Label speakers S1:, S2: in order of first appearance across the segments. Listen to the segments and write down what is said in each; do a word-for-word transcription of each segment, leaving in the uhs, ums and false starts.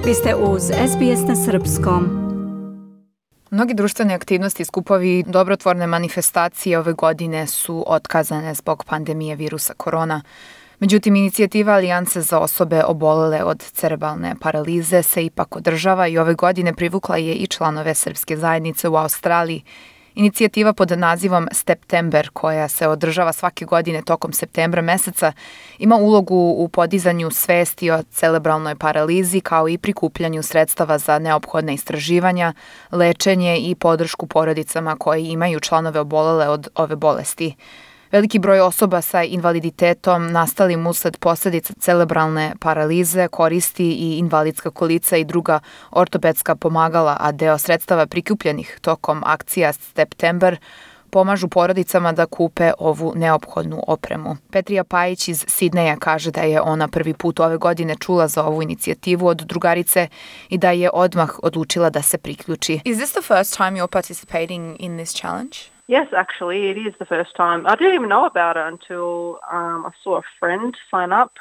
S1: Vi ste uz S B S na srpskom.
S2: Mnogi društvene aktivnosti, skupovi, dobrotvorne manifestacije ove godine su otkazane zbog pandemije virusa korona. Međutim, inicijativa Alijanse za osobe obolele od cerebralne paralize se ipak održava i ove godine privukla je i članove srpske zajednice u Australiji. Inicijativa pod nazivom September, koja se održava svake godine tokom septembra meseca, ima ulogu u podizanju svesti o cerebralnoj paralizi kao i prikupljanju sredstava za neophodne istraživanja, lečenje i podršku porodicama koje imaju članove obolele od ove bolesti. Veliki broj osoba sa invaliditetom nastalim usled posljedica cerebralne paralize koristi i invalidska kolica i druga ortopedska pomagala, a deo sredstava prikupljenih tokom akcija September pomažu porodicama da kupe ovu neophodnu opremu. Petrija Pajić iz Sidneja kaže da je ona prvi put ove godine čula za ovu inicijativu od drugarice i da je odmah odlučila da se priključi.
S3: Is this the first time you're participating in this challenge?
S4: Yes, actually, it is the first time. I didn't even know about it until um, I saw a friend sign up,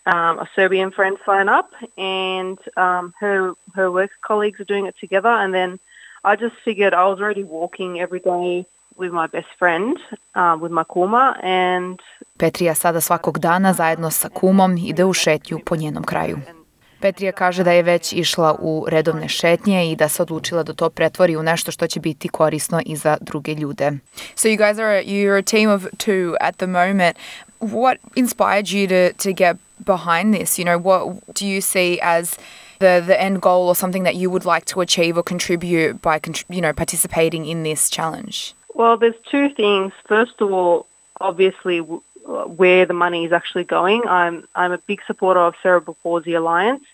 S4: um, a Serbian friend sign up, and um, her her work colleagues are doing it together. And then I just figured I was already walking every day with my best friend, um, with my kuma, and
S2: Petrija sada svakog dana zajedno sa kumom ide u šetnju po njenom kraju. Petrija kaže da je već išla u redovne šetnje i da se odlučila da to pretvori u nešto što će biti korisno i za druge ljude.
S3: So you guys are you're a team of two at the moment. What inspired you to to get behind this? You know, what do you see as the the end goal or something that you would like to achieve or contribute by you know participating in this challenge?
S4: Well, there's two things. First of all, obviously where the money is actually going. I'm I'm a big supporter of Cerebral Palsy Alliance.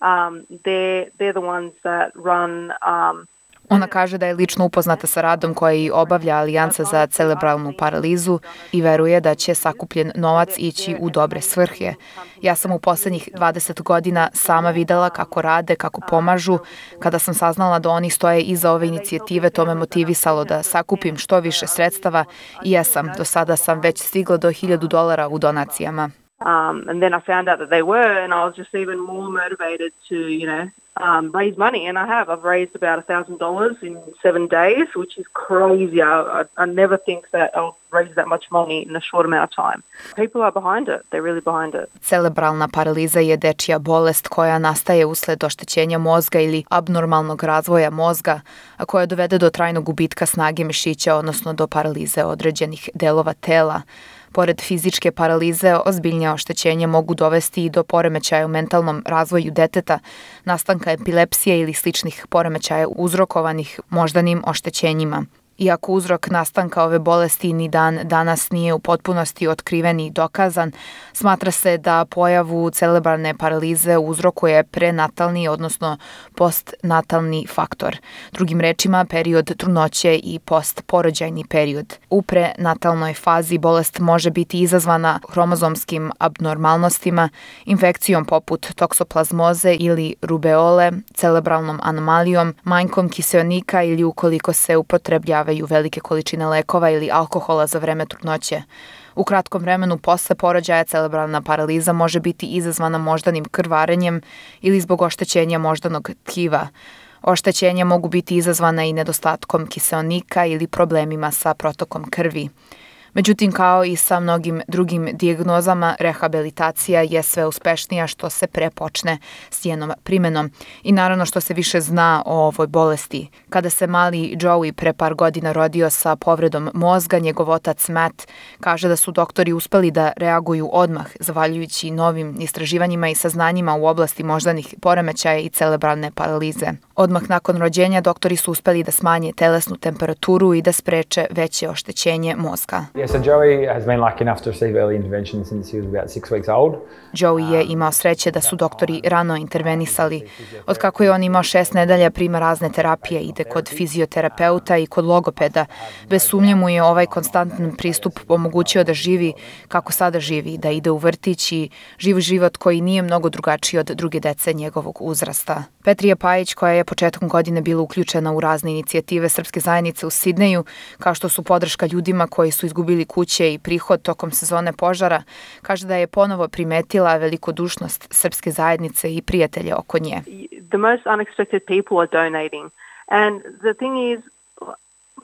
S4: Um, they're they're the ones that run. Um,
S2: Ona kaže da je lično upoznata sa radom koji obavlja Alijansa za cerebralnu paralizu i veruje da će sakupljen novac ići u dobre svrhe. Ja sam u posljednjih dvadeset godina sama videla kako rade, kako pomažu. Kada sam saznala da oni stoje iza ove inicijative, to me motivisalo da sakupim što više sredstava i jesam, do sada sam već stigla do hiljadu dolara u donacijama.
S4: Um, and then I found out that they were, and I was just even more motivated to, you know, um, raise money. And I have. I've raised about a thousand dollars in seven days, which is crazy. I, I, I never think that I'll raise that much money in a short amount of time. People are behind it. They're really behind it.
S2: Cerebralna paraliza je dečija bolest koja nastaje usled oštećenja mozga ili abnormalnog razvoja mozga, a koja dovede do trajnog gubitka snage mišića, odnosno do paralize određenih delova tela. Pored fizičke paralize, ozbiljnija oštećenja mogu dovesti i do poremećaja u mentalnom razvoju deteta, nastanka epilepsije ili sličnih poremećaja uzrokovanih moždanim oštećenjima. Iako uzrok nastanka ove bolesti ni dan danas nije u potpunosti otkriven i dokazan, smatra se da pojavu cerebralne paralize uzrokuje prenatalni, odnosno postnatalni faktor. Drugim rečima, period trudnoće i postporođajni period. U prenatalnoj fazi bolest može biti izazvana hromozomskim abnormalnostima, infekcijom poput toksoplazmoze ili rubeole, cerebralnom anomalijom, manjkom kiseonika ili ukoliko se upotrebljava velike količine lekova ili alkohola za vreme trudnoće. U kratkom vremenu posle porođaja cerebralna paraliza može biti izazvana moždanim krvarenjem ili zbog oštećenja moždanog tkiva. Oštećenja mogu biti izazvana i nedostatkom kiseonika ili problemima sa protokom krvi. Međutim, kao i sa mnogim drugim dijagnozama, rehabilitacija je sve uspešnija što se pre počne s njenom primenom i naravno što se više zna o ovoj bolesti. Kada se mali Joey pre par godina rodio sa povredom mozga, njegov otac Matt kaže da su doktori uspeli da reaguju odmah, zahvaljujući novim istraživanjima i saznanjima u oblasti moždanih poremećaja i cerebralne paralize. Odmah nakon rođenja doktori su uspeli da smanje telesnu temperaturu i da spreče veće oštećenje mozga.
S5: Yeah, so Joey has been lucky enough to receive early intervention since he was about six weeks old.
S2: Joey je imao sreće da su doktori rano intervenisali. Od kako je on imao šest nedelja prima razne terapije, ide kod fizioterapeuta i kod logopeda. Bez sumnje mu je ovaj konstantan pristup omogućio da živi kako sada živi, da ide u vrtić i živi život koji nije mnogo drugačiji od druge dece njegovog uzrasta. Petrija Pajić, koja je početkom godine bila uključena u razne inicijative srpske zajednice u Sidneju, kao što su podrška ljudima koji su izgubili kuće i prihod tokom sezone požara, kaže da je ponovo primetila velikodušnost srpske zajednice i prijatelje oko nje.
S4: the most unexpected people are donating. And the thing is,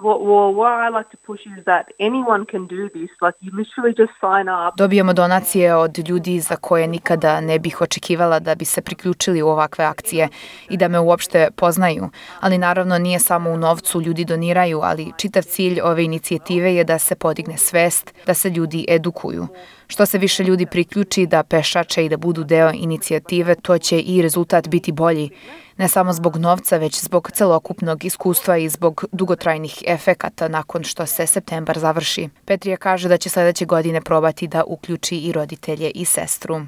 S4: what, well, what I like to push is that anyone can do this. Like, you literally just sign up.
S2: Dobijamo donacije od ljudi za koje nikada ne bih očekivala da bi se priključili u ovakve akcije i da me uopšte poznaju. Ali naravno nije samo u novcu, ljudi doniraju, ali čitav cilj ove inicijative je da se podigne svest, da se ljudi edukuju. Što se više ljudi priključi da pešače i da budu deo inicijative, to će i rezultat biti bolji. Ne samo zbog novca, već zbog celokupnog iskustva i zbog dugotrajnih efekata nakon što se septembar završi. Petrija kaže da će sledeće godine probati da uključi i roditelje i sestru.
S4: Uh,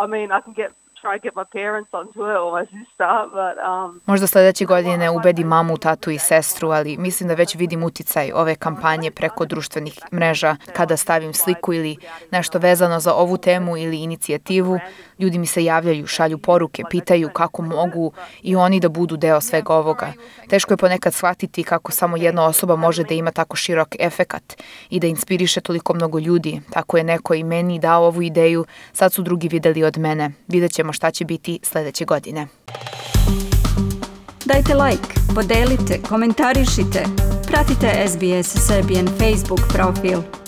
S4: I mean, I can get try to get my parents onto it or my sister, but um
S2: Možda sledeće godine ubedi mamu, tatu i sestru, ali mislim da već vidim uticaj ove kampanje preko društvenih mreža. Kada stavim sliku ili nešto vezano za ovu temu ili inicijativu, ljudi mi se javljaju, šalju poruke, pitaju kako mogu i oni da budu deo svega ovoga. Teško je ponekad shvatiti kako samo jedna osoba može da ima tako širok efekat i da inspiriše toliko mnogo ljudi. Tako je neko i meni dao ovu ideju, sad su drugi videli od mene. Vidjet ćemo šta će biti sledeće godine.
S1: Dajte like, podelite, komentarišite. Pratite S B S Serbian Facebook profil.